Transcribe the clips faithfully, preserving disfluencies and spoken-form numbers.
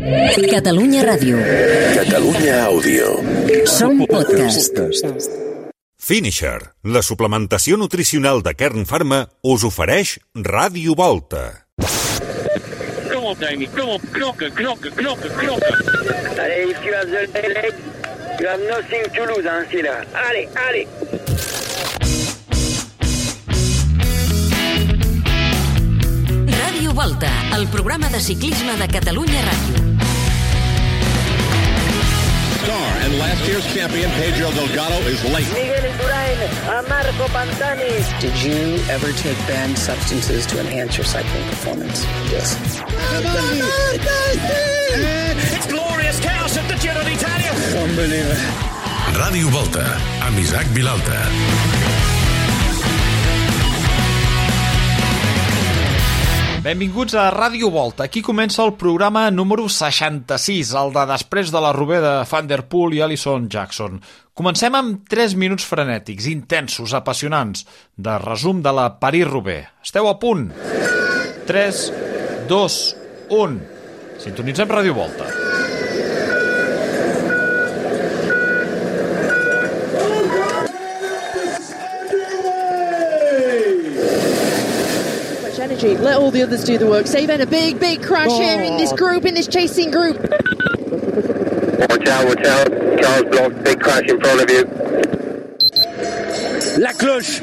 Catalunya Ràdio. Catalunya Àudio. Som podcast. Finisher, la suplementació nutricional de Kern Pharma, us ofereix Ràdio Volta. Kom op, Dani. Kom op. Knokken, knokken, knokken, knokken. Allez, if you have the leg, you have nothing to lose, hein, c'est là. Allez, allez. Ràdio Volta, el programa de ciclisme de Catalunya Ràdio. Star and last year's champion Pedro Delgado is late. Miguel Indurain, a Marco Pantani. Did you ever take banned substances to enhance your cycling performance? Yes. It's glorious chaos at the Giro d'Italia. Unbelievable. Ràdio Volta, amb Isaac Vilalta. Benvinguts a Ràdio Volta. Aquí comença el programa número seixanta-sis, el de després de la Roubaix de Van der Poel i Alison Jackson. Comencem amb tres minuts frenètics, intensos, apassionants, de resum de la París-Roubaix. Esteu a punt? tres, dos, un. Sintonitzem Ràdio Volta. Energy. Let all the others do the work. Save in a big, big crash oh. here in this group, in this chasing group. Watch out, watch out. Charles Blanc, big crash in front of you. La cloche.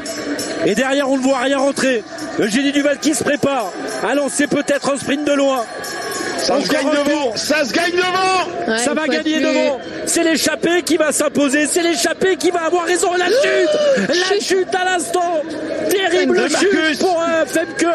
Et derrière, on ne voit rien rentrer. Le génie du Val qui se prépare à lancer peut-être un sprint de loin. Ça se gagne devant. Ça se gagne devant. Ouais, ça va gagner plus... devant. C'est l'échappée qui va s'imposer. C'est l'échappée qui va avoir raison. La chute. La chute à l'instant. Terrible chute pour euh, Femke.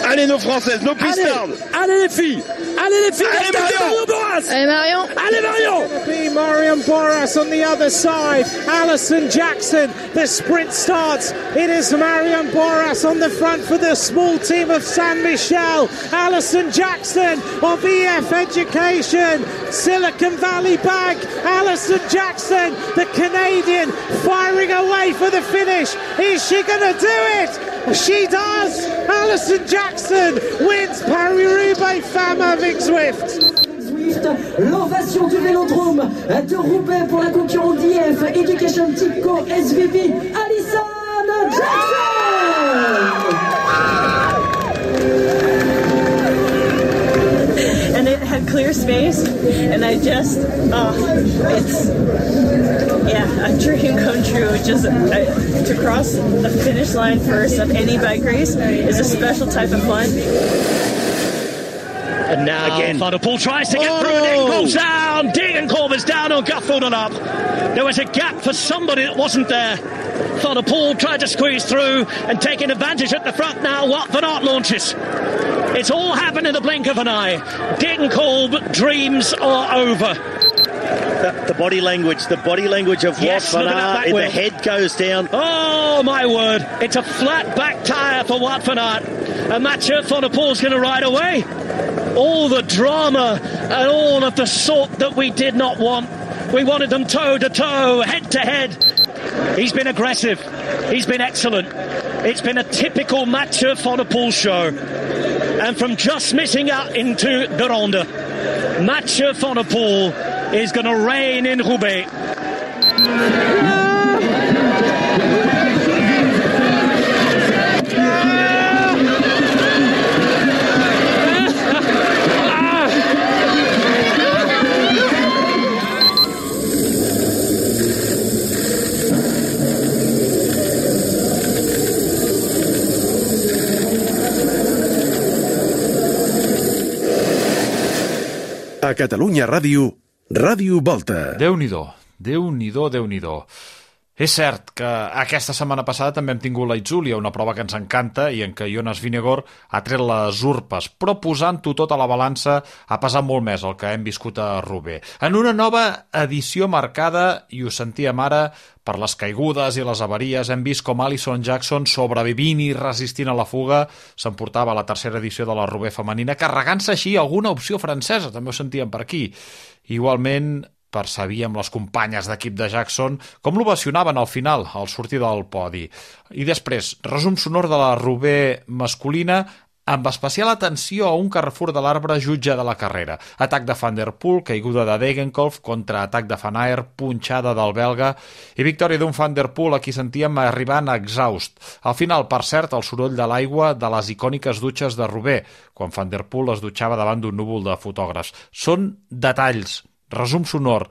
Allez nos Françaises, nos pistardes. Allez, allez les filles. Allez les filles. Allez Marion. Boras. Allez Marion. Allez Marion. Be Marion Boras on the other side. Alison Jackson. The sprint starts. It is Marion Boras on the front for the small team of San Michel. Alison Jackson of E F Education. Silicon Valley Bag. Alison Jackson, the Canadian, firing away for the finish. Is she going to do it? She does! Alison Jackson wins Paris-Roubaix Femme avec Zwift. L'ovation du Vélodrome de Roubaix pour la concurrente d'I F Education Tico S V P, Alison Jackson! And it had clear space, and I just, oh, it's, yeah, a dream come true. Just I, to cross the finish line first of any bike race is a special type of fun. And now again, Van der Poel tries to get oh. through. Degenkolb's down. Degenkolb is down on Gutfeld and up. There was a gap for somebody that wasn't there. Van der Poel tried to squeeze through and taking advantage at the front now. Wout van Aert launches. It's all happened in the blink of an eye. Degenkolb dreams are over. The, the body language, the body language of yes, Wout van Aert, the head goes down. Oh my word, it's a flat back tyre for Wout van Aert. And Mathieu van der Poel's going to ride away. All the drama and all of the sort that we did not want. We wanted them toe to toe, head to head. He's been aggressive. He's been excellent. It's been a typical Mathieu van der Poel show. And from just missing out into the Ronde, Mathieu van der Poel is going to reign in Roubaix. A Catalunya Ràdio, Ràdio Volta. Déu-n'hi-do, Déu-n'hi-do, Déu-n'hi-do. És cert que aquesta setmana passada també hem tingut la Itzulia, una prova que ens encanta i en què Jonas Vingegaard ha tret les urpes, però posant-ho tot a la balança ha pesat molt més el que hem viscut a Roubaix. En una nova edició marcada, i ho sentíem ara, per les caigudes i les avaries, hem vist com Alison Jackson, sobrevivint i resistint a la fuga, s'emportava la tercera edició de la Roubaix femenina, carregant-se així alguna opció francesa, també ho sentíem per aquí. Igualment, percebíem les companyes d'equip de Jackson com l'ovacionaven al final, al sortir del podi. I després, resum sonor de la Roubaix masculina amb especial atenció a un Carrefour de l'Arbre jutge de la carrera. Atac de Van der Poel, caiguda de Degenkolb, contraatac de Van Aert, punxada del belga i victòria d'un Van der Poel a qui sentíem arribant exhaust. Al final, per cert, el soroll de l'aigua de les icòniques dutxes de Roubaix, quan Van der Poel es dutxava davant d'un núvol de fotògrafs. Són detalls, resum sonor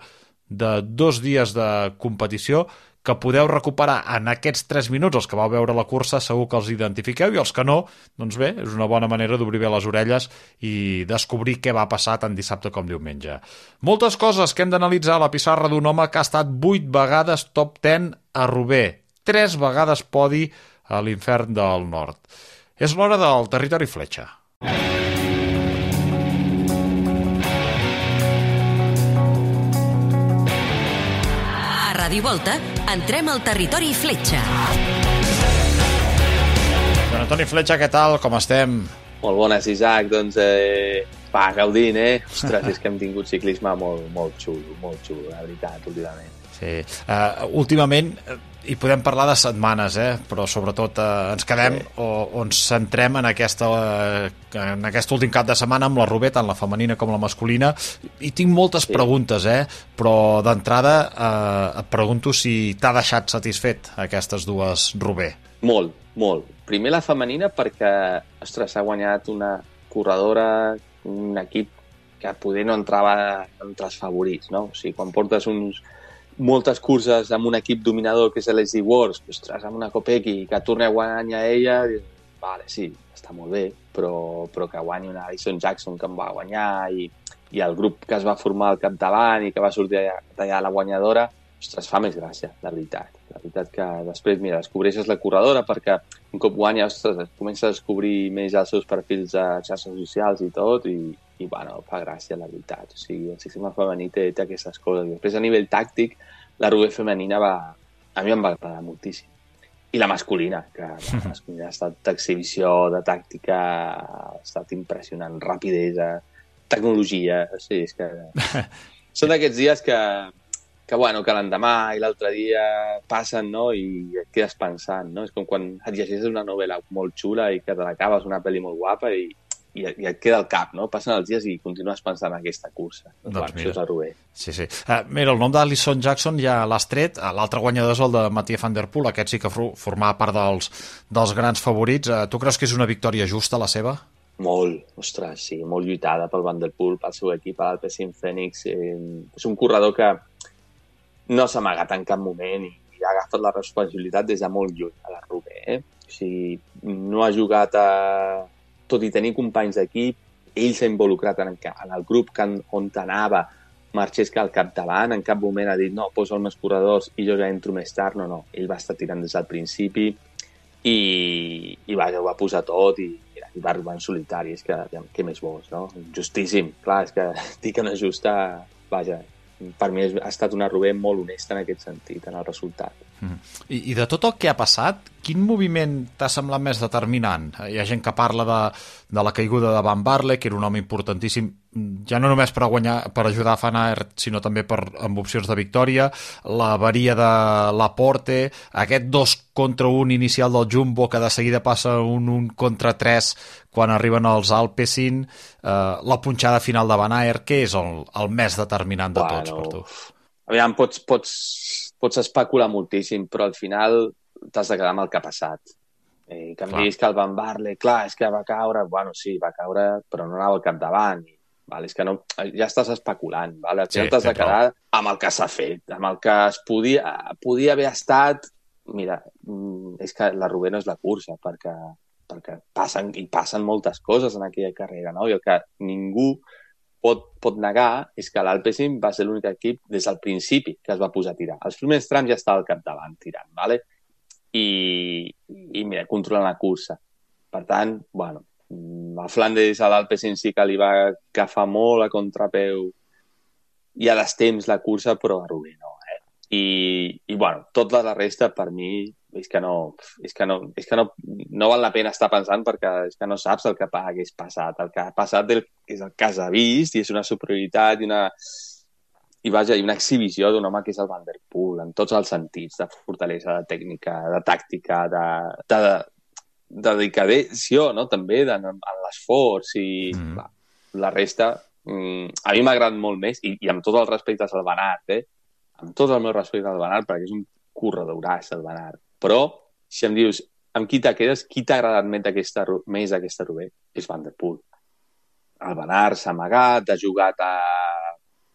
de dos dies de competició que podeu recuperar en aquests tres minuts. Els que vau veure la cursa segur que els identifiqueu i els que no, doncs bé, és una bona manera d'obrir bé les orelles i descobrir què va passar tant dissabte com diumenge. Moltes coses que hem d'analitzar a la pissarra d'un home que ha estat vuit vegades top deu a Roubaix, tres vegades podi a l'Infern del Nord. És l'hora del Territori Fletxa. Ràdio Volta, entrem al Territori Fletxa. Joan Antoni Fletxa, què tal? Com estem? Molt bones, Isaac. Doncs, eh, va, gaudint, eh? Ostres, és que hem tingut ciclisme molt, molt xulo, molt xulo, la veritat, últimament. Sí. Uh, últimament, hi podem parlar de setmanes, eh? Però sobretot uh, ens quedem sí. o, o ens centrem en, aquesta, uh, en aquest últim cap de setmana amb la Roubaix, tant la femenina com la masculina, i tinc moltes sí. preguntes, eh? Però d'entrada uh, et pregunto si t'ha deixat satisfet aquestes dues Roubaix. Molt, molt. Primer la femenina perquè, ostres, s'ha guanyat una corredora, un equip que poder no entrava entre els favorits, no? O sigui, quan portes uns moltes curses amb un equip dominador que és l'S D Wars, ostres, amb una Kopecky que torni a guanyar ella, vale, sí, està molt bé, però, però que guanyi una Alison Jackson que em va guanyar i, i el grup que es va formar al capdavant i que va sortir d'allà la guanyadora, ostres, fa més gràcia, la veritat. La veritat que després, mira, descobreixes la corredora perquè un cop guanya, ostres, comença a descobrir més els seus perfils a xarxes socials i tot i, i bueno, fa gràcia, la veritat. O sigui, el ciclisme femení té, té aquestes coses. I després, a nivell tàctic, la Roubaix femenina va, a mi em va agradar moltíssim. I la masculina, que la masculina ha estat d'exhibició, de tàctica, ha estat impressionant, rapidesa, tecnologia, o sigui, és que... Són d'aquests dies que, que, bueno, que l'endemà i l'altre dia passen, no?, i et quedes pensant, no? És com quan et llegeixes una novel·la molt xula i que te l'acabes, una pel·li molt guapa i, i, i et queda al cap, no? Passen els dies i continues pensant en aquesta cursa. Doncs bueno, mira. Això és la Roubaix. Sí, sí. Uh, mira, el nom d'Alison Jackson ja l'has tret. L'altre guanyador és el de Mathieu van der Poel. Aquest sí que formava part dels, dels grans favorits. Uh, tu creus que és una victòria justa, la seva? Molt, ostres, sí, molt lluitada pel Van der Poel, pel seu equip, l'Alpecin Fènix. Eh, és un corredor que no s'ha amagat en cap moment i, i ha agafat la responsabilitat des de molt lluny a la Roubaix. Eh? O sigui, no ha jugat a... Tot i tenir companys d'equip, ell s'ha involucrat en, en el grup que, on anava, marxés que al capdavant, en cap moment ha dit no, posa els meus corredors i jo ja entro més tard. No, no, ell va estar tirant des del principi i, i va, ho va posar tot i i va arribar en solitari, és que, què més vols, no? Justíssim, clar, és que dir que no és justa, vaja, per mi ha estat una Roubaix molt honesta en aquest sentit, en el resultat. Mm. I, I de tot el que ha passat, quin moviment t'ha semblat més determinant? Hi ha gent que parla de, de la caiguda de Van Barle, que era un home importantíssim, ja no només per, guanyar, per ajudar a Van Aert, sinó també per, amb opcions de victòria, la avaria de Laporte, aquest dos contra un inicial del Jumbo, que de seguida passa un un contra tres quan arriben els Alpecin, eh, la punxada final de Van Aert, què és el, el més determinant de tots bueno, per tu? Aviam, pots, pots, pots especular moltíssim, però al final t'has de quedar amb el que ha passat. Eh, que em diguis que el Van Barle, clar, és que va caure, bueno, sí, va caure, però no anava al capdavant. Vale, és que no, ja estàs especulant, vale? Al final sí, t'has de quedar prou. Amb el que s'ha fet, amb el que es podia, podia haver estat. Mira, és que la Roubaix no és la cursa, perquè, perquè passen, i passen moltes coses en aquella carrera, no? I el que ningú pot, pot negar és que l'Alpecin va ser l'únic equip des del principi que es va posar a tirar. Els primers trams ja estava al capdavant tirant, vale? I, i mira, controlant la cursa. Per tant, bueno, a Flandes a l'Alpecin sí que li va agafar molt a contrapeu i a destemps la cursa, però a Roubaix no, eh? I, i bueno, tota la resta per mi és que no, és que no, és que no, no val la pena estar pensant perquè és que no saps el que hagués passat. El que ha passat és el que has vist i és una superioritat i una, i vaja, i una exhibició d'un home que és el Van der Poel en tots els sentits, de fortalesa, de tècnica, de tàctica, de, de, dedicació, no? També en, en l'esforç i mm. va, la resta mm, a mi m'ha agradat molt més i, i amb tot el respecte al Van Aert, eh? Amb tot el meu respecte al Van Aert, perquè és un corredoràs el Van Aert, però si em dius amb qui te quedes, qui t'ha agradat més aquesta, més aquesta Roubaix? És Van der Poel. El Van Aert s'ha amagat, ha jugat a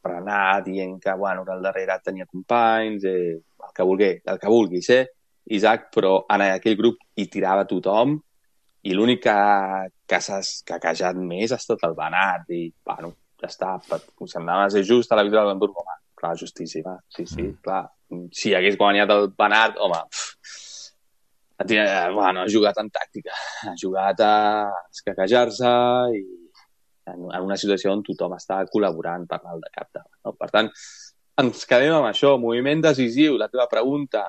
frenar dient que, bueno, que al darrere tenia companys, eh, el que vulgui, el que vulguis, eh? Isaac, però en aquell grup hi tirava tothom i l'únic que, que s'ha caquejat més ha estat el Van Aert i, bueno, ja està, semblava ser just a la victòria de l'Hamburg, home, clar, justíssima, sí, sí, mm. clar. Si hagués guanyat el Van Aert, home, pff, bueno, ha jugat en tàctica, ha jugat a escaquejar-se i en una situació on tothom està col·laborant per mal de cap. No? Per tant, ens quedem amb això, moviment decisiu, la teva pregunta,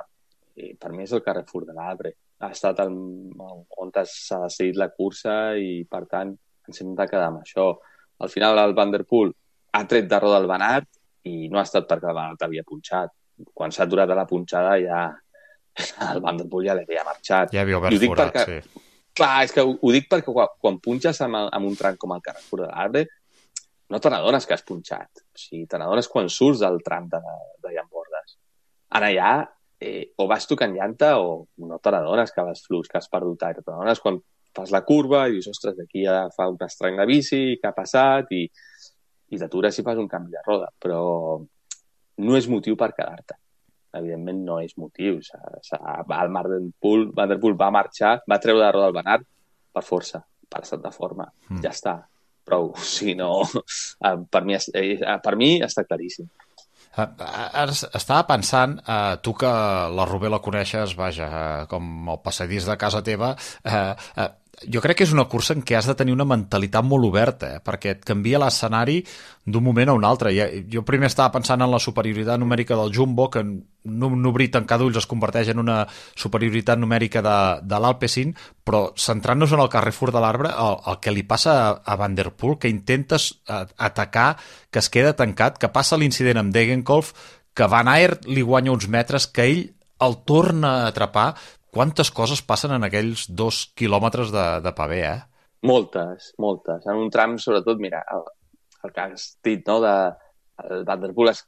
i per mi és el Carrefour de l'Arbre. Ha estat el, on s'ha decidit la cursa i, per tant, ens hem de quedar amb això. Al final, el Van der Poel ha tret de roda el Van Aert i no ha estat perquè el Van Aert havia punxat. Quan s'ha aturat a la punxada ja el Van der Poel ja l'havia marxat. Ja havia obert forat, perquè, sí. Clar, és que ho, ho dic perquè quan, quan punxes amb, el, amb un tram com el Carrefour de l'Arbre no te n'adones que has punxat. O sigui, te n'adones quan surts del tram de, de Llambordes. Ara ja Eh, o vas tocant llanta o no te n'adones que vas flux, que has perdut aire. Te n'adones quan fas la curva i dius, ostres, d'aquí ja fa un estrany de bici, què ha passat? I, i t'atures i fas un canvi de roda. Però no és motiu per quedar-te. Evidentment no és motiu. S ha, s ha, el Van der Poel, Van der Poel va marxar, va treure de roda el Van Aert per força, per estat de forma. Mm. Ja està. Prou. Si no, per mi, per mi està claríssim. Ara estava pensant, eh, tu que la Roubaix la coneixes, vaja, eh, com el passadís de casa teva, eh, eh, jo crec que és una cursa en què has de tenir una mentalitat molt oberta, eh, perquè et canvia l'escenari d'un moment a un altre. Jo primer estava pensant en la superioritat numèrica del Jumbo, que en un obrir tancar d'ulls es converteix en una superioritat numèrica de, de l'Alpecin, però centrant-nos en el Carrefour de l'Arbre, el, el que li passa a, a Van der Poel, que intentes atacar, que es queda tancat, que passa l'incident amb Degenkolb, que Van Aert li guanya uns metres, que ell el torna a atrapar. Quantes coses passen en aquells dos quilòmetres de, de pavé, eh? Moltes, moltes. En un tram, sobretot, mira, el, el que has dit, no?, de el Van der Poel es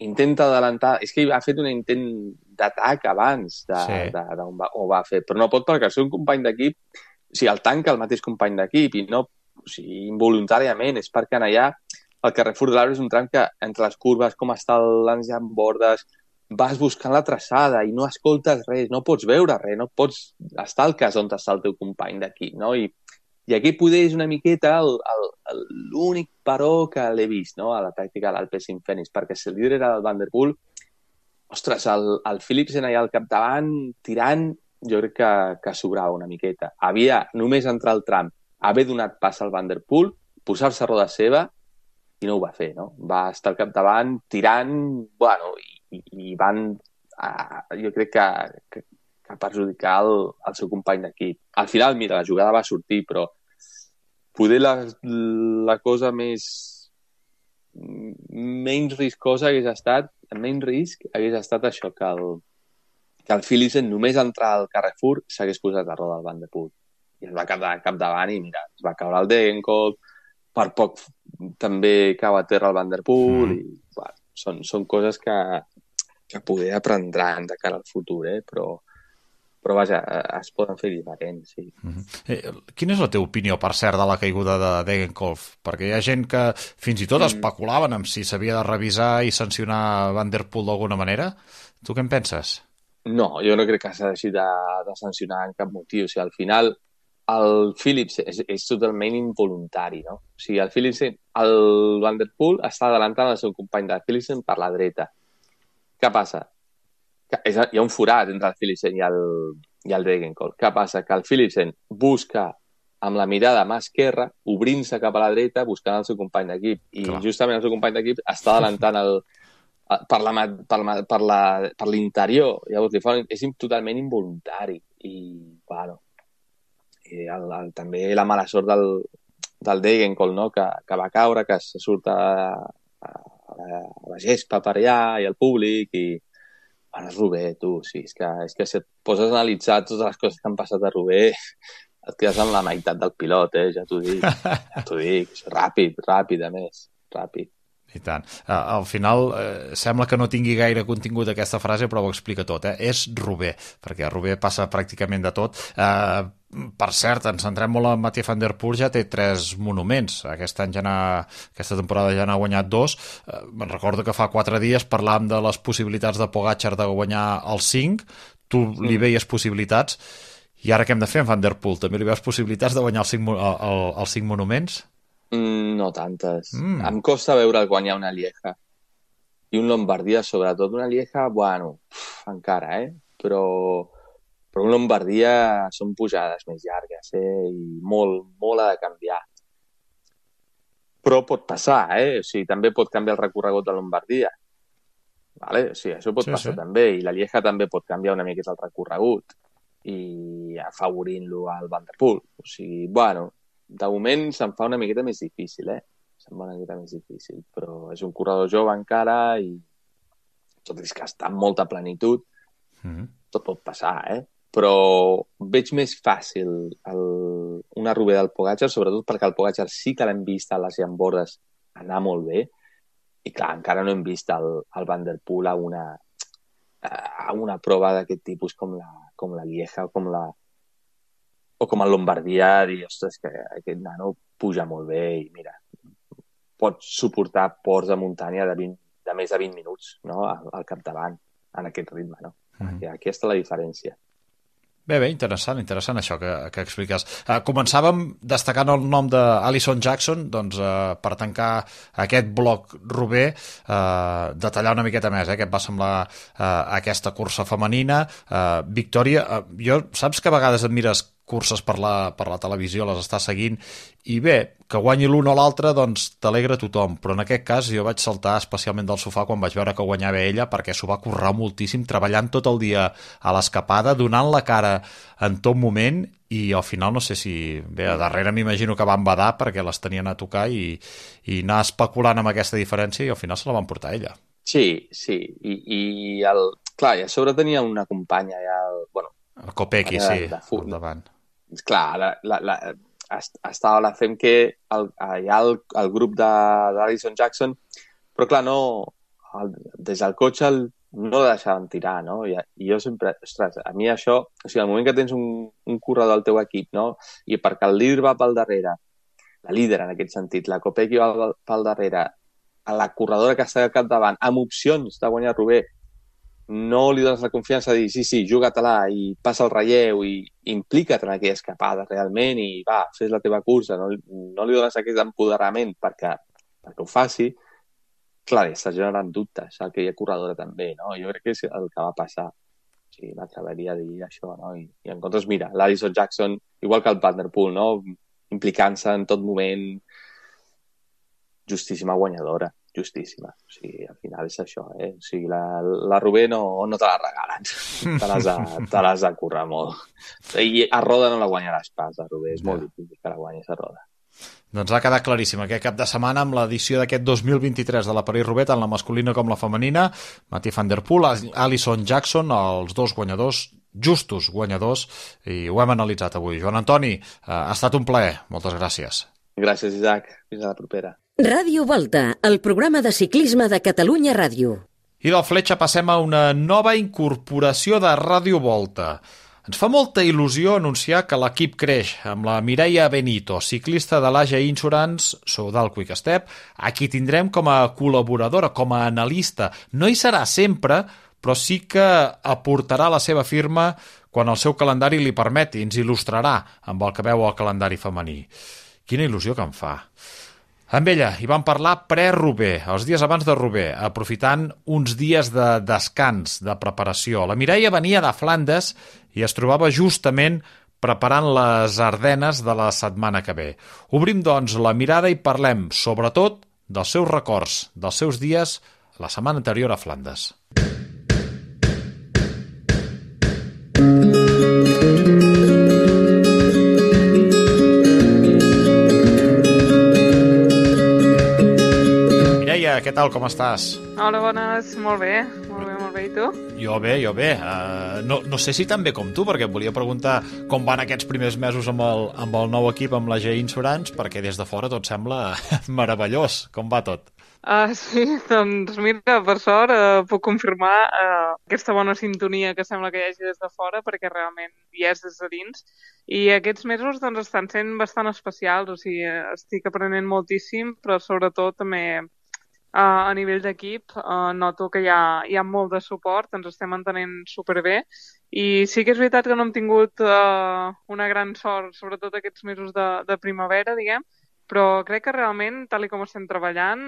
intenta adelantar... És que ha fet un intent d'atac abans de, sí. de, de, on va, ho va fer, però no pot perquè el seu company d'equip, o sigui, el tanca el mateix company d'equip i no, o sigui, involuntàriament, és perquè allà el Carrefour de l'Arbre és un tram que entre les curves, com està l'enjambordes, vas buscant la traçada i no escoltes res, no pots veure res, no pots estar al cas on està el teu company d'equip, no? I, i aquí poder és una miqueta l'únic però que l'he vist, no?, a la pràctica de l'Alpecin Fenix, perquè si el líder era el Van der Poel, ostres, el, el Philipsen allà al capdavant, tirant, jo crec que, que sobrava una miqueta. Havia només entrar al tram, haver donat pas al Van der Poel, posar-se a roda seva, i no ho va fer, no? Va estar al capdavant, tirant, bueno, i I, i van, uh, jo crec que, que, que perjudicar el, el seu company d'equip. Al final, mira, la jugada va sortir, però poder la, la cosa més menys riscosa hagués estat, menys risc hagués estat això, que el, que el Philipsen només entrar al Carrefour s'hagués posat a roda el Van der Poel. I es va quedar capdavant i mira, es va caure el Degenkolb, per poc també cau a terra el Van der Poel, mm. i bueno, són, són coses que que poder aprendran de cara al futur, eh? però, però vaja, es poden fer diferents, sí. Mm-hmm. eh, quina és la teva opinió, per cert, de la caiguda de Degenkolb? Perquè hi ha gent que fins i tot mm. especulaven amb si s'havia de revisar i sancionar Van der Poel d'alguna manera. Tu què en penses? No, jo no crec que s'ha de, de sancionar en cap motiu. O sigui, al final, el Phillips és, és totalment involuntari, no? O sigui, el Philipsen, el Van der Poel està adelantant el seu company de Philipsen per la dreta. Què passa? Que és, hi ha un forat entre el Philipsen i el, i el Degenkolb. Què passa? Que el Philipsen busca amb la mirada mà esquerra, obrint-se cap a la dreta, buscant el seu company d'equip. I Clar. justament el seu company d'equip està adelantant el, per la, per la, per la, per l'interior. Llavors, li fa, és totalment involuntari. I, bueno, i el, el, també la mala sort del, del Degenkolb, no? que, que va caure, que se surt a, a, a la gespa per allà i al públic i, Bueno, és Roubaix, tu, sí, és que, és que si et poses a analitzar totes les coses que han passat a Roubaix, et quedes amb la meitat del pilot, eh? Ja t'ho dic, ja t'ho dic, ràpid, ràpid, a més, ràpid. I tant. Uh, al final uh, sembla que no tingui gaire contingut aquesta frase, però ho explica tot, eh? És Roubaix, perquè a Roubaix passa pràcticament de tot. Uh, per cert, ens centrem molt en Mathieu van der Poel, ja té tres monuments. Aquest any ja n'ha, aquesta temporada ja n'ha guanyat dos. Uh, me'n recordo que fa quatre dies parlàvem de les possibilitats de Pogačar de guanyar els cinc. Tu mm. li veies possibilitats. I ara què hem de fer amb Van der Poel? També li veus possibilitats de guanyar els cinc, el, el, els cinc monuments? Mm, no tantes. Mm. Em costa veure guanyar una Lieja. I un Lombardia, sobretot. Una Lieja, bueno, uf, encara, eh? Però, però un Lombardia són pujades més llargues, eh? I molt, molt ha de canviar. Però pot passar, eh? O sigui, també pot canviar el recorregut de Lombardia. Vale? O sigui, això pot sí, passar sí. també. I la Lieja també pot canviar una miqueta el recorregut. I afavorint-lo al Van der Poel. O sigui, bueno, de moment se'n fa una miqueta més difícil, eh? Se'n fa una miqueta més difícil, però és un corredor jove encara i tot és que està amb molta plenitud. Mm-hmm. Tot pot passar, eh? Però veig més fàcil el, una Roubaix del Pogačar, sobretot perquè el Pogačar sí que l'hem vist a les llambordes anar molt bé i clar, encara no hem vist el, el Van der Poel a una, a una prova d'aquest tipus com la com la Lieja o com la o com el Lombardia, dir, ostres, que aquest nano puja molt bé i mira, pot suportar ports de muntanya de, vint, de més de vint minuts, no?, al, al capdavant, en aquest ritme, no? Mm-hmm. Aquí, aquí està la diferència. Bé, bé, interessant, interessant això que, que expliques. Uh, començàvem destacant el nom d'Alison Jackson, doncs uh, per tancar aquest bloc Roubaix, uh, detallar una miqueta més, eh, que et va semblar uh, aquesta cursa femenina. Uh, Victòria, uh, jo saps que a vegades et mires curses per la, per la televisió, les estàs seguint, i bé, que guanyi l'un o l'altre, doncs t'alegra tothom, però en aquest cas jo vaig saltar especialment del sofà quan vaig veure que guanyava ella, perquè s'ho va currar moltíssim, treballant tot el dia a l'escapada, donant la cara en tot moment, i al final no sé si... Bé, a darrere m'imagino que van badar perquè les tenien a tocar i, i anar especulant amb aquesta diferència i al final se la van portar ella. Sí, sí, i, i el... clar, i a sobre tenia una companya, ja el... bueno, el Kopecky, sí, al davant. Clar, la, la, la, estava la fem que el, hi ha el, el grup d'Alison Jackson, però clar, no, el, des del cotxe el, no la deixaven tirar, no? I, i jo sempre, ostres, a mi això, o sigui, al moment que tens un, un corredor al teu equip, no? I perquè el líder va pel darrere, la líder en aquest sentit, la Kopecky va pel darrere, a la corredora que està al capdavant, amb opcions de guanyar Roubaix, no li dones la confiança de dir sí, sí, juga-te-la i passa el relleu i implica't en aquella escapada realment i va, fes la teva cursa, no, no li dones aquest empoderament perquè, perquè ho faci, clar, està generant dubtes aquella corredora també, no? Jo crec que és el que va passar. O sigui, m'atreveria a dir això, no? I, i en comptes, mira, l'Alison Jackson, igual que el Van der Poel, no? Implicant-se en tot moment, justíssima guanyadora. Justíssima. O sigui, al final és això, eh? O sigui, la, la Roubaix no, no te la regalen. Te l'has de, te l'has de currar molt. I a roda no la guanyaràs pas, a Roubaix. És molt difícil que la guanyis a roda. Doncs ha quedat claríssim aquest cap de setmana amb l'edició d'aquest dos mil vint-i-tres de la París-Roubaix, tant la masculina com la femenina. Mathieu van der Poel, Alison Jackson, els dos guanyadors, justos guanyadors, i ho hem analitzat avui. Joan Antoni, ha estat un plaer. Moltes gràcies. Gràcies, Isaac. Fins a la propera. Ràdio Volta, el programa de ciclisme de Catalunya Ràdio. I del Fletxa passem a una nova incorporació de Ràdio Volta. Ens fa molta il·lusió anunciar que l'equip creix amb la Mireia Benito, ciclista de l'A G Insurance, Soudal Quick Step, a qui tindrem com a col·laboradora, com a analista. No hi serà sempre, però sí que aportarà la seva firma quan el seu calendari li permeti, ens il·lustrarà amb el que veu el calendari femení. Quina il·lusió que em fa. Amb ella hi vam parlar pre-Roubaix, els dies abans de Roubaix, aprofitant uns dies de descans, de preparació. La Mireia venia de Flandes i es trobava justament preparant les Ardenes de la setmana que ve. Obrim, doncs, la mirada i parlem, sobretot, dels seus records, dels seus dies la setmana anterior a Flandes. Què tal, com estàs? Hola, bones, molt bé, molt bé, molt bé. bé, i tu? Jo bé, jo bé. Uh, no, no sé si tan bé com tu, perquè et volia preguntar com van aquests primers mesos amb el, amb el nou equip, amb la G Insurance, perquè des de fora tot sembla meravellós. Com va tot? Uh, sí, doncs mira, per sort uh, puc confirmar uh, aquesta bona sintonia que sembla que hi hagi des de fora, perquè realment hi és des de dins. I aquests mesos doncs, estan sent bastant especials, o sigui, estic aprenent moltíssim, però sobretot també Uh, a nivell d'equip uh, noto que hi ha, hi ha molt de suport, ens estem entenent superbé i sí que és veritat que no hem tingut uh, una gran sort, sobretot aquests mesos de, de primavera, diguem, però crec que realment, tal i com estem treballant,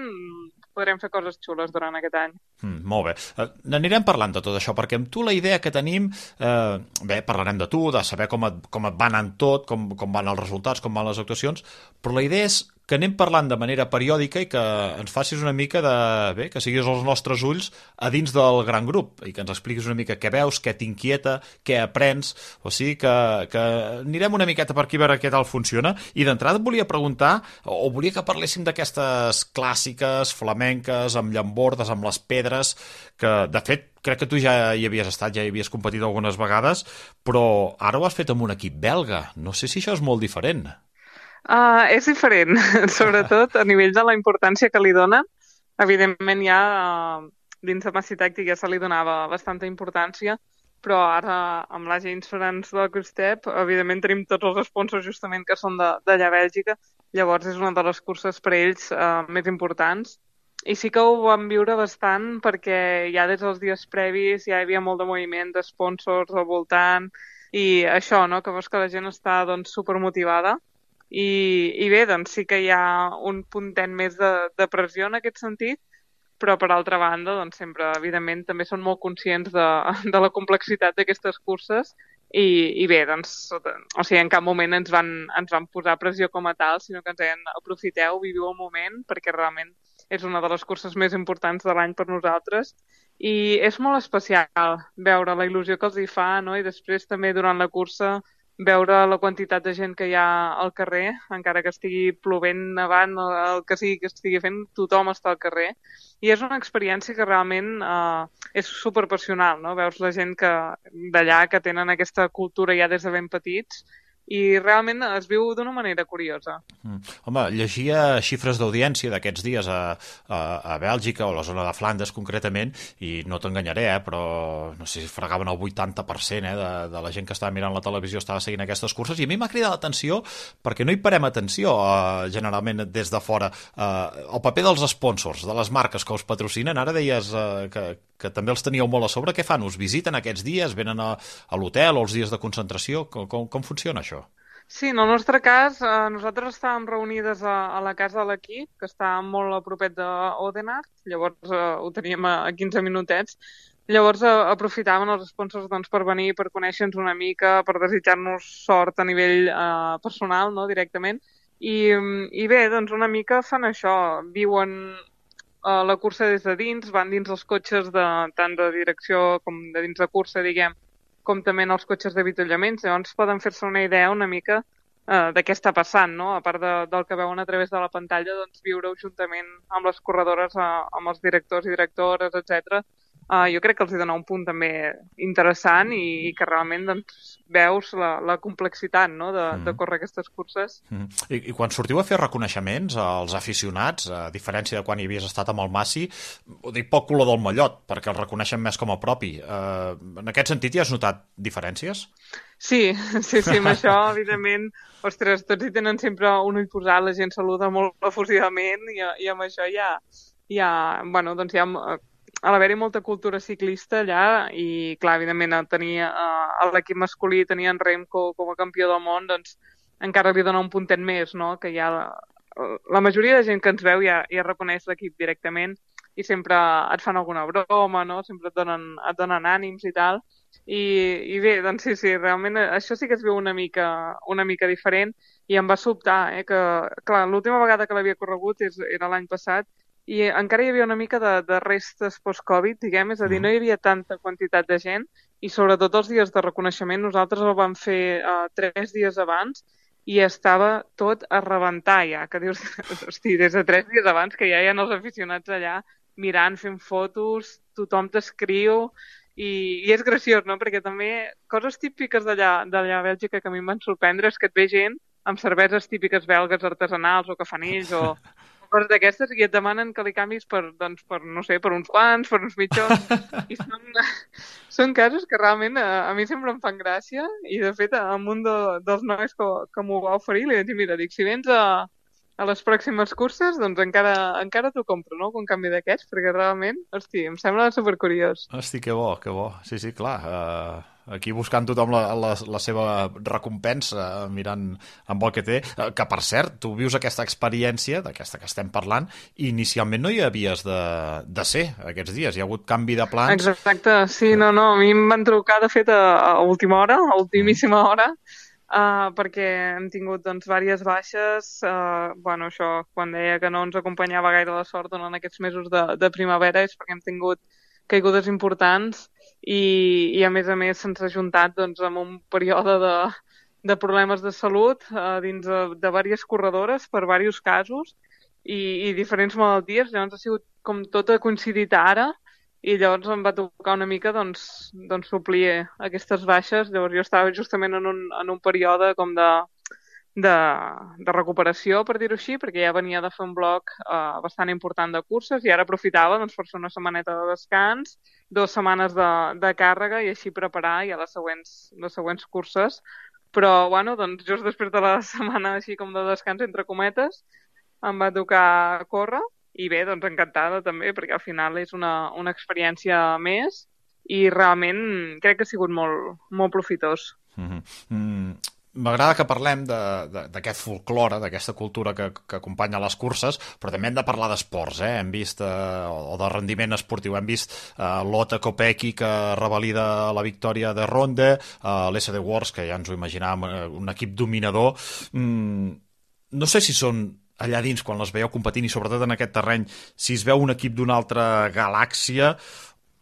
podrem fer coses xules durant aquest any. Mm, molt bé. Uh, n'anirem parlant de tot això, perquè amb tu la idea que tenim, eh, bé, parlarem de tu, de saber com et, com et va anant tot, com, com van els resultats, com van les actuacions, però la idea és que anem parlant de manera periòdica i que ens facis una mica de... bé, que siguis els nostres ulls a dins del gran grup i que ens expliquis una mica què veus, què t'inquieta, què aprens, o sigui que, que anirem una miqueta per aquí a veure què tal funciona. I d'entrada et volia preguntar, o volia que parléssim d'aquestes clàssiques, flamenques, amb llambordes, amb les pedres, que de fet crec que tu ja hi havies estat, ja hi havies competit algunes vegades, però ara ho has fet amb un equip belga. No sé si això és molt diferent. Uh, és diferent, sobretot a nivell de la importància que li donen. Evidentment ja uh, dins de Massey Tactic ja se li donava bastanta importància, però ara amb la G Insurance del Quick-Step evidentment tenim tots els sponsors justament que són d'allà a Bèlgica, llavors és una de les curses per ells uh, més importants. I sí que ho vam viure bastant perquè ja des dels dies previs ja hi havia molt de moviment de sponsors al voltant i això, no? Que veus que la gent està doncs, supermotivada. I, i bé, doncs sí que hi ha un puntet més de, de pressió en aquest sentit, però per altra banda, doncs sempre, evidentment, també són molt conscients de, de la complexitat d'aquestes curses i, i bé, doncs, o sigui, en cap moment ens van, ens van posar pressió com a tal, sinó que ens deien, aprofiteu, viviu el moment, perquè realment és una de les curses més importants de l'any per nosaltres i és molt especial veure la il·lusió que els hi fa, no? I després també durant la cursa veure la quantitat de gent que hi ha al carrer, encara que estigui plovent, nevant, el que sigui que estigui fent, tothom està al carrer. I és una experiència que realment eh, és superpassional, no? Veus la gent que d'allà que tenen aquesta cultura ja des de ben petits i realment es viu d'una manera curiosa. Mm. Home, llegia xifres d'audiència d'aquests dies a, a, a Bèlgica o a la zona de Flandes concretament i no t'enganyaré, eh, però no sé si fregaven el vuitanta per cent eh, de, de la gent que estava mirant la televisió estava seguint aquestes curses i a mi m'ha cridat l'atenció perquè no hi parem atenció eh, generalment des de fora. Eh, el paper dels sponsors, de les marques que us patrocinen, ara deies eh, que, que també els teníeu molt a sobre. Què fan? Us visiten aquests dies? Venen a, a l'hotel o els dies de concentració? Com, com, com funciona això? Sí, en el nostre cas, eh, nosaltres estàvem reunides a, a la casa de l'equip, que està molt a propet d'Odenart, llavors eh, ho teníem a, a quinze minutets. Llavors eh, aprofitaven els sponsors doncs, per venir, per conèixer-nos una mica, per desitjar-nos sort a nivell eh, personal, no, directament. I, I bé, doncs una mica fan això, viuen eh, la cursa des de dins, van dins els cotxes de, tant de direcció com de dins de cursa, diguem, com també en els cotxes d'avituallaments, llavors poden fer-se una idea una mica eh, de què està passant, no? A part de, del que veuen a través de la pantalla, doncs viure-ho juntament amb les corredores, eh, amb els directors i directores, etcètera. Uh, jo crec que els hi dona un punt també interessant i, i que realment doncs, veus la, la complexitat no? de, mm. de córrer aquestes curses. Mm. I, I quan sortiu a fer reconeixements als aficionats, a diferència de quan hi havies estat amb el Massey, ho dic poc color del mallot, perquè el reconeixen més com a propi. Uh, en aquest sentit, hi has notat diferències? Sí, sí, sí, amb això, evidentment, ostres, tots hi tenen sempre un ull posat, la gent saluda molt efusivament i, i amb això ja, ja, bueno, doncs ja... a l'haver-hi molta cultura ciclista allà i, clar, evidentment, tenir uh, l'equip masculí, tenir en Remco com a campió del món, doncs encara li dona un puntet més, no? Que ja la, la majoria de gent que ens veu ja, ja reconeix l'equip directament i sempre et fan alguna broma, no? Sempre et donen, et donen ànims i tal. I, i bé, doncs sí, sí, realment això sí que es veu una mica, una mica diferent i em va sobtar, eh? Que, clar, l'última vegada que l'havia corregut és, era l'any passat i encara hi havia una mica de, de restes post-Covid, diguem, és a dir, no hi havia tanta quantitat de gent i sobretot els dies de reconeixement nosaltres el vam fer uh, tres dies abans i estava tot a rebentar ja, que dius, hosti, des de tres dies abans que ja hi ha els aficionats allà mirant, fent fotos, tothom t'escriu, i, i és graciós, no? Perquè també coses típiques d'allà d'allà a Bèlgica que a mi em van sorprendre és que et ve gent amb cerveses típiques belgues artesanals o cafanills o coses d'aquestes i et demanen que li canvis per, doncs, per, no sé, per uns quants, per uns mitjons. I són, són casos que realment a, a mi sempre em fan gràcia i, de fet, amb un de, dels nois que, que m'ho va oferir li vaig dir, mira, dic, si vens a, a les pròximes curses, doncs encara, encara t'ho compro, no?, un canvi d'aquests, perquè realment, hosti, em sembla supercuriós. Hosti, que bo, que bo. Sí, sí, clar. Uh, aquí buscant tothom la, la, la seva recompensa, mirant amb el que té. Uh, que, per cert, tu vius aquesta experiència, d'aquesta que estem parlant, i inicialment no hi havies de, de ser aquests dies. Hi ha hagut canvi de plans. Exacte, sí, no, no. A mi em van trucar, de fet, a, a última hora, a ultimíssima hora, Uh, perquè hem tingut doncs diverses baixes, uh, bueno, això, quan deia que no ens acompanyava gaire la sort durant aquests mesos de, de primavera és perquè hem tingut caigudes importants i, i a més a més se'ns ha juntat doncs, amb un període de, de problemes de salut uh, dins de, de diverses corredores per diversos casos i, i diferents malalties, llavors ha sigut com tot ha coincidit ara i llavors em va tocar una mica doncs, doncs suplir aquestes baixes. Llavors jo estava justament en un, en un període com de, de, de recuperació, per dir-ho així, perquè ja venia de fer un bloc uh, bastant important de curses i ara aprofitava doncs, per fer una setmaneta de descans, dues setmanes de, de càrrega i així preparar ja les següents, les següents curses. Però bueno, doncs, just després de la setmana així com de descans entre cometes em va tocar córrer. I bé, doncs encantada també, perquè al final és una, una experiència més i realment crec que ha sigut molt, molt profitós. Mm-hmm. Mm, m'agrada que parlem d'aquest folklore, d'aquesta cultura que, que acompanya les curses, però també hem de parlar d'esports, eh? Hem vist, eh, o de rendiment esportiu, hem vist eh, l'Ota Kopecky que revalida la victòria de Ronde, eh, l'S D Wars, que ja ens ho imaginàvem, eh, un equip dominador. Mm, no sé si són allà dins, quan les veieu competint i sobretot en aquest terreny, si es veu un equip d'una altra galàxia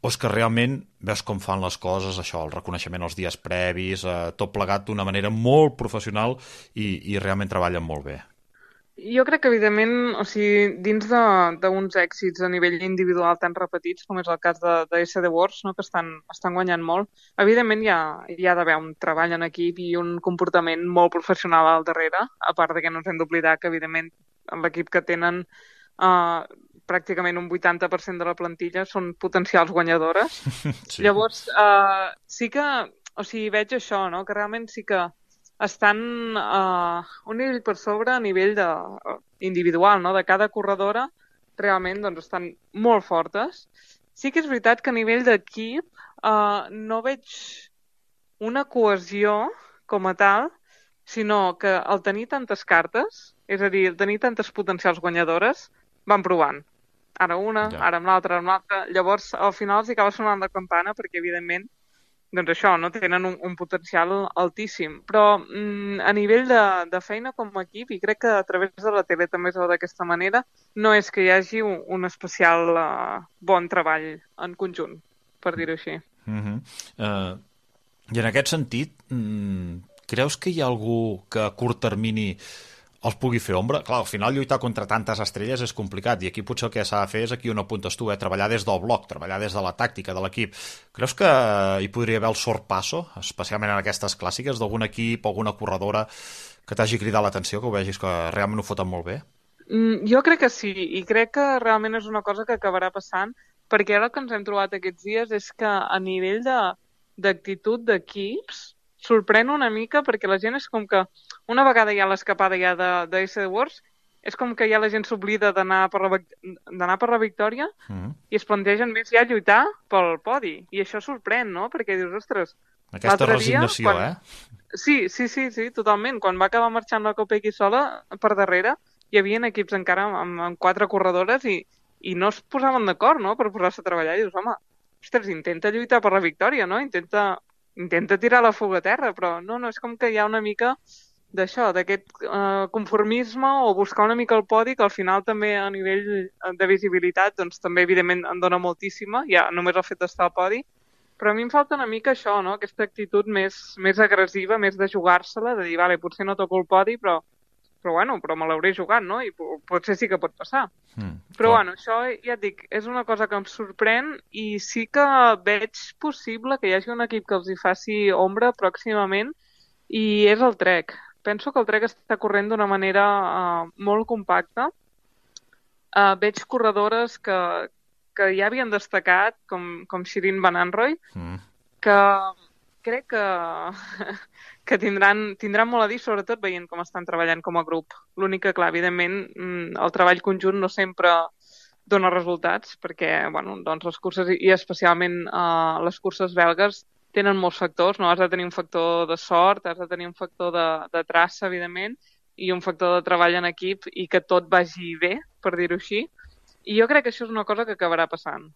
o és que realment veus com fan les coses, això, el reconeixement els dies previs, eh, tot plegat d'una manera molt professional i, i realment treballen molt bé. Jo crec que, evidentment, o sigui, dins d'uns èxits a nivell individual tan repetits, com és el cas de, de S D Wars, no?, que estan, estan guanyant molt, evidentment hi ha, hi ha d'haver un treball en equip i un comportament molt professional al darrere, a part de que no ens hem d'oblidar que, evidentment, l'equip que tenen uh, pràcticament un vuitanta per cent de la plantilla són potencials guanyadores. Sí. Llavors, uh, sí que, o sigui, veig això, no?, que realment sí que estan uh, un nivell per sobre a nivell de, uh, individual, no?, de cada corredora, realment doncs, estan molt fortes. Sí que és veritat que a nivell d'equip uh, no veig una cohesió com a tal, sinó que al tenir tantes cartes, és a dir, al tenir tantes potencials guanyadores, van provant. Ara una, ja. Ara amb l'altra, amb l'altra. Llavors, al final els acaba sonant la campana perquè, evidentment, doncs això, no tenen un, un potencial altíssim. Però mm, a nivell de, de feina com a equip, i crec que a través de la tele també es veu d'aquesta manera, no és que hi hagi un, un especial uh, bon treball en conjunt, per dir-ho així. Mm-hmm. uh, I en aquest sentit, mm, creus que hi ha algú que a curt termini els pugui fer ombra? Clar, al final lluitar contra tantes estrelles és complicat i aquí potser el que s'ha de fer és aquí on apuntes tu, eh? Treballar des del bloc, treballar des de la tàctica de l'equip. Creus que hi podria haver el sorpasso, especialment en aquestes clàssiques, d'algun equip, alguna corredora que t'hagi cridat l'atenció, que ho vegis que realment ho foten molt bé? Mm, jo crec que sí, i crec que realment és una cosa que acabarà passant, perquè ara el que ens hem trobat aquests dies és que a nivell d'actitud de, d'equips sorprèn una mica perquè la gent és com que una vegada hi ha l'escapada ja de, de S D Wars, és com que ja la gent s'oblida d'anar per, la, d'anar per la victòria mm. i es plantegen més ja lluitar pel podi. I això sorprèn, no? Perquè dius, ostres... Aquesta resignació, dia, quan... eh? Sí, sí, sí, sí, totalment. Quan va acabar marxant la Kopecky sola, per darrere, hi havia equips encara amb, amb quatre corredores i, i no es posaven d'acord, no?, per posar-se a treballar. I dius, home, ostres, intenta lluitar per la victòria, no? Intenta... intenta tirar la fuga a terra, però no, no, és com que hi ha una mica d'això, d'aquest uh, conformisme o buscar una mica el podi, que al final també a nivell de visibilitat, doncs també evidentment en dona moltíssima, ja només el fet d'estar al podi, però a mi em falta una mica això, no?, aquesta actitud més, més agressiva, més de jugar-se-la, de dir, vale, potser no toco el podi, però però bueno, però me l'hauré jugat, no? I potser sí que pot passar. Mm, però clar. bueno, això ja et dic, és una cosa que em sorprèn i sí que veig possible que hi hagi un equip que els hi faci ombra pròximament i és el Trek. Penso que el Trek està corrent d'una manera uh, molt compacta. Uh, veig corredores que, que ja havien destacat, com, com Shirin Van Anrooy, mm. que crec que, que tindran, tindran molt a dir, sobretot veient com estan treballant com a grup. L'únic que, clar, evidentment, el treball conjunt no sempre dona resultats, perquè bueno, doncs les curses, i especialment uh, les curses belgues, tenen molts factors, no? Has de tenir un factor de sort, has de tenir un factor de, de traça, evidentment, i un factor de treball en equip i que tot vagi bé, per dir-ho així. I jo crec que això és una cosa que acabarà passant.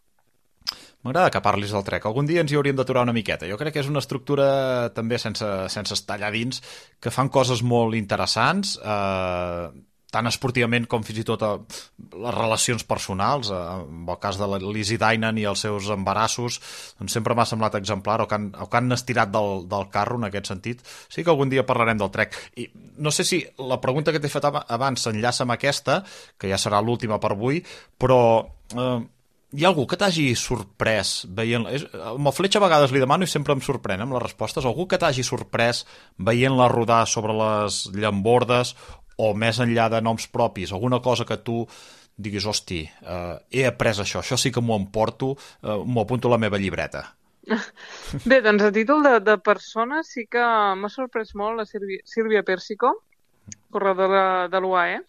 M'agrada que parlis del Trek. Algun dia ens hi hauríem d'aturar una miqueta. Jo crec que és una estructura també sense, sense estar allà dins, que fan coses molt interessants, eh, tant esportivament com fins i tot a les relacions personals. Eh, en el cas de la Lizzie Deignan i els seus embarassos, doncs sempre m'ha semblat exemplar, o que han, o que han estirat del, del carro en aquest sentit. Sí que algun dia parlarem del Trek. I no sé si la pregunta que t'he fet abans s'enllaça amb aquesta, que ja serà l'última per avui, però... Eh, hi ha algú que t'hagi sorprès veient... Amb el Fletxa a vegades li demano i sempre em sorprèn amb les respostes. Algú que t'hagi sorprès veient-la rodar sobre les llambordes o més enllà de noms propis, alguna cosa que tu diguis, hosti, eh, he après això, això sí que m'ho emporto, eh, m'ho apunto a la meva llibreta. Bé, doncs a títol de, de persona sí que m'ha sorprès molt la Sílvia, Sílvia Persico, corredora de l'U A E,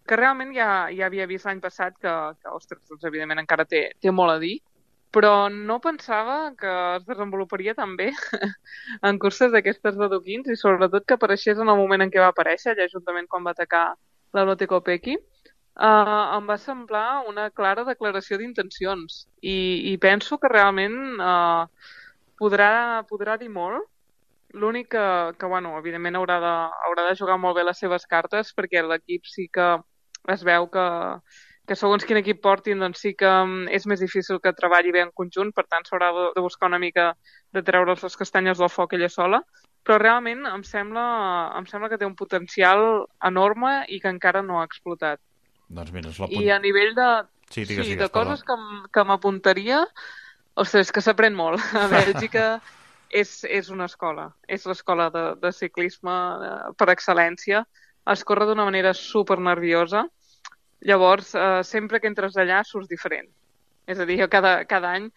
que realment ja, ja havia vist l'any passat que, que ostres, doncs, evidentment encara té, té molt a dir, però no pensava que es desenvoluparia tan bé en curses d'aquestes de Duquins i sobretot que apareixés en el moment en què va aparèixer, allà juntament quan va atacar la Lotte Kopecky. Uh, em va semblar una clara declaració d'intencions i, i penso que realment uh, podrà, podrà dir molt. L'únic que, que bueno, evidentment haurà de, haurà de jugar molt bé les seves cartes perquè l'equip sí que es veu que, que segons quin equip portin doncs sí que és més difícil que treballi bé en conjunt, per tant s'haurà de, de buscar una mica de treure's les castanyes del foc ella sola, però realment em sembla, em sembla que té un potencial enorme i que encara no ha explotat. Doncs mira, és la punt... I a nivell de, sí, digues, sí, digues, de coses que, que m'apuntaria, ostres, que s'aprèn molt. A Bèlgica és, és una escola, és l'escola de, de ciclisme per excel·lència. Es corre d'una manera super nerviosa, llavors eh, sempre que entres allà surts diferent. És a dir, jo cada, cada any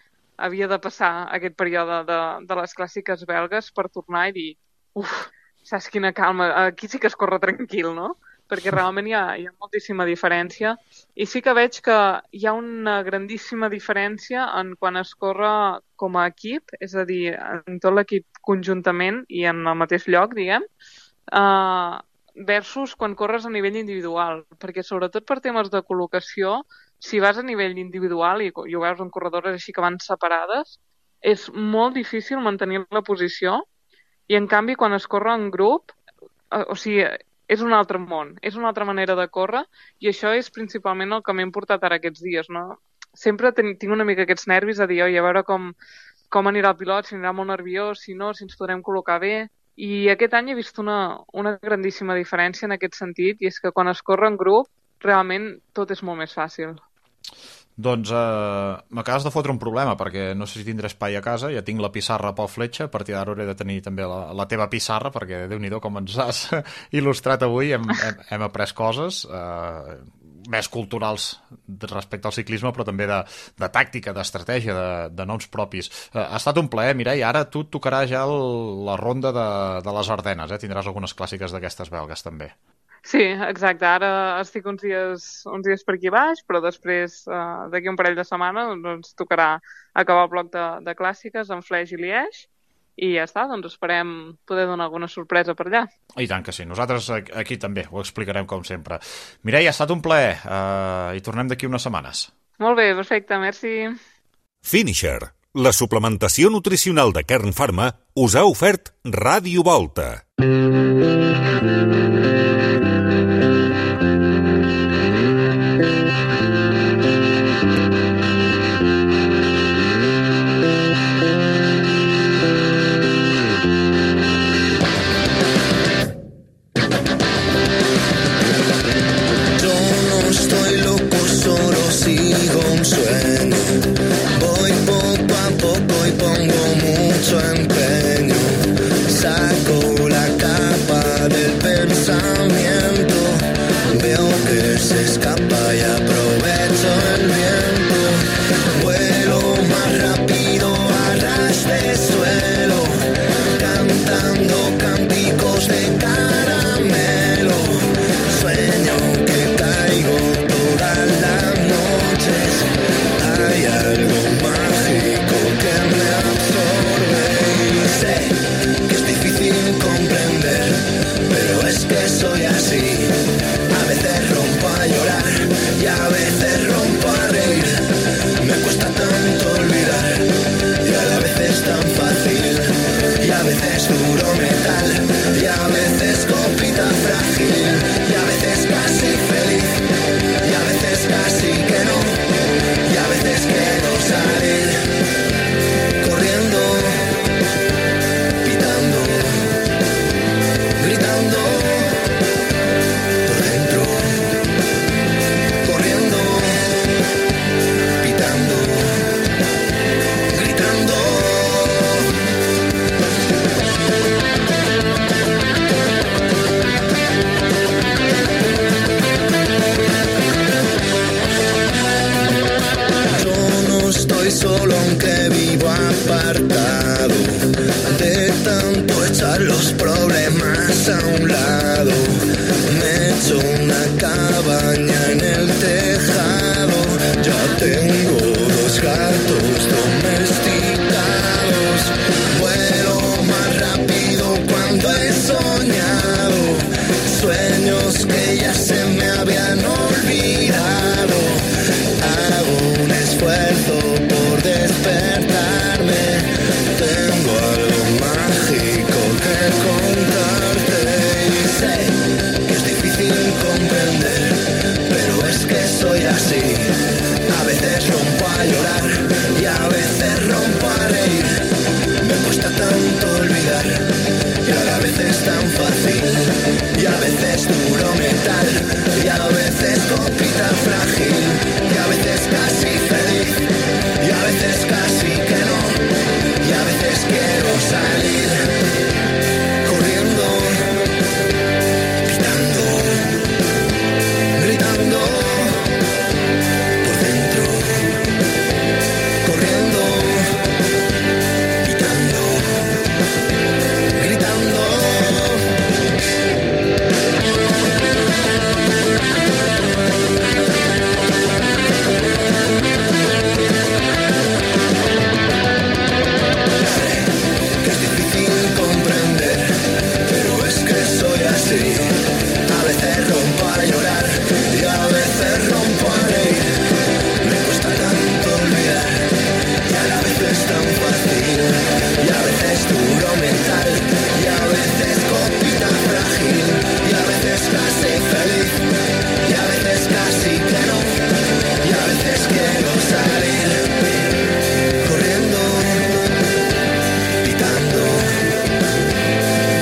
havia de passar aquest període de, de les clàssiques belgues per tornar i dir, uf, saps quina calma, aquí sí que es corre tranquil, no? Perquè realment hi ha, hi ha moltíssima diferència i sí que veig que hi ha una grandíssima diferència en quan es corre com a equip, és a dir, en tot l'equip conjuntament i en el mateix lloc, diguem, uh, versus quan corres a nivell individual, perquè sobretot per temes de col·locació, si vas a nivell individual, i, i ho veus en corredores així que van separades, és molt difícil mantenir la posició i en canvi quan es corre en grup, uh, o sigui, és un altre món, és una altra manera de córrer i això és principalment el que m'he portat ara aquests dies, no? Sempre ten, tinc una mica aquests nervis a dir, oi, a veure com, com anirà el pilot, si anirà molt nerviós, si no, si ens podrem col·locar bé. I aquest any he vist una, una grandíssima diferència en aquest sentit i és que quan es corre en grup realment tot és molt més fàcil. Doncs eh, m'acabes de fotre un problema perquè no sé si tindré espai a casa, ja tinc la pissarra pel Fletxa, a partir d'ara hauré de tenir també la, la teva pissarra perquè Déu-n'hi-do com ens has il·lustrat avui, hem, hem, hem après coses eh, més culturals respecte al ciclisme però també de, de tàctica, d'estratègia, de, de noms propis. Eh, ha estat un plaer, Mireia, ara tu et tocarà ja el, la ronda de, de les Ardenes, eh? Tindràs algunes clàssiques d'aquestes belgues també. Sí, exacte. Ara estic uns dies, uns dies per aquí baix, però després, eh, d'aquí un parell de setmanes, doncs tocarà acabar el bloc de, de clàssiques en Flèche i Liège, i ja està, doncs esperem poder donar alguna sorpresa per allà. I tant que sí, nosaltres aquí també ho explicarem com sempre. Mireia, ha estat un plaer, eh, i tornem d'aquí unes setmanes. Molt bé, perfecte, merci. Finisher, la suplementació nutricional de Kern Pharma, us ha ofert Ràdio Volta. veces rompo a reír. Me cuesta tanto olvidar y a la vez es tan fácil. Y a veces duro metal y a veces copita frágil. Y a veces casi feliz y a veces casi que no. Y a veces quiero salir corriendo, pitando, gritando por dentro, corriendo, pitando, gritando. Estoy solo aunque vivo apartado, de tanto echar los problemas a un lado. Me he hecho una cabaña en el tejado, ya tengo dos gatos domesticados. Vuelo más rápido cuando he soñado, sueños que ya se me habían olvidado. Hago un esfuerzo por despertarme, tengo algo mágico que contarte. Y sé que es difícil comprender, pero es que soy así. A veces rompo a llorar y a veces rompo a reír. Me cuesta tanto olvidar y a la vez es tan fácil. Y a veces duro metal y a veces copita frágil. Y a veces casi feliz y a veces casi que no. Y a veces quiero salir corriendo, pitando, gritando por dentro, corriendo, pitando, gritando. A veces rompo a llorar y a veces rompo a reír. Me cuesta tanto olvidar y a la vez es tan fácil. Y a veces duro mental y a veces copita frágil. Y a veces casi feliz y a veces casi que no. Y a veces quiero salir corriendo, pitando,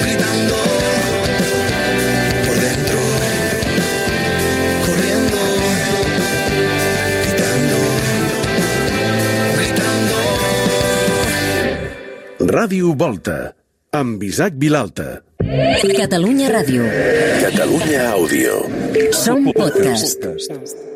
gritando. Ràdio Volta, amb Isaac Vilalta. Catalunya Ràdio. Catalunya Àudio. Som podcast.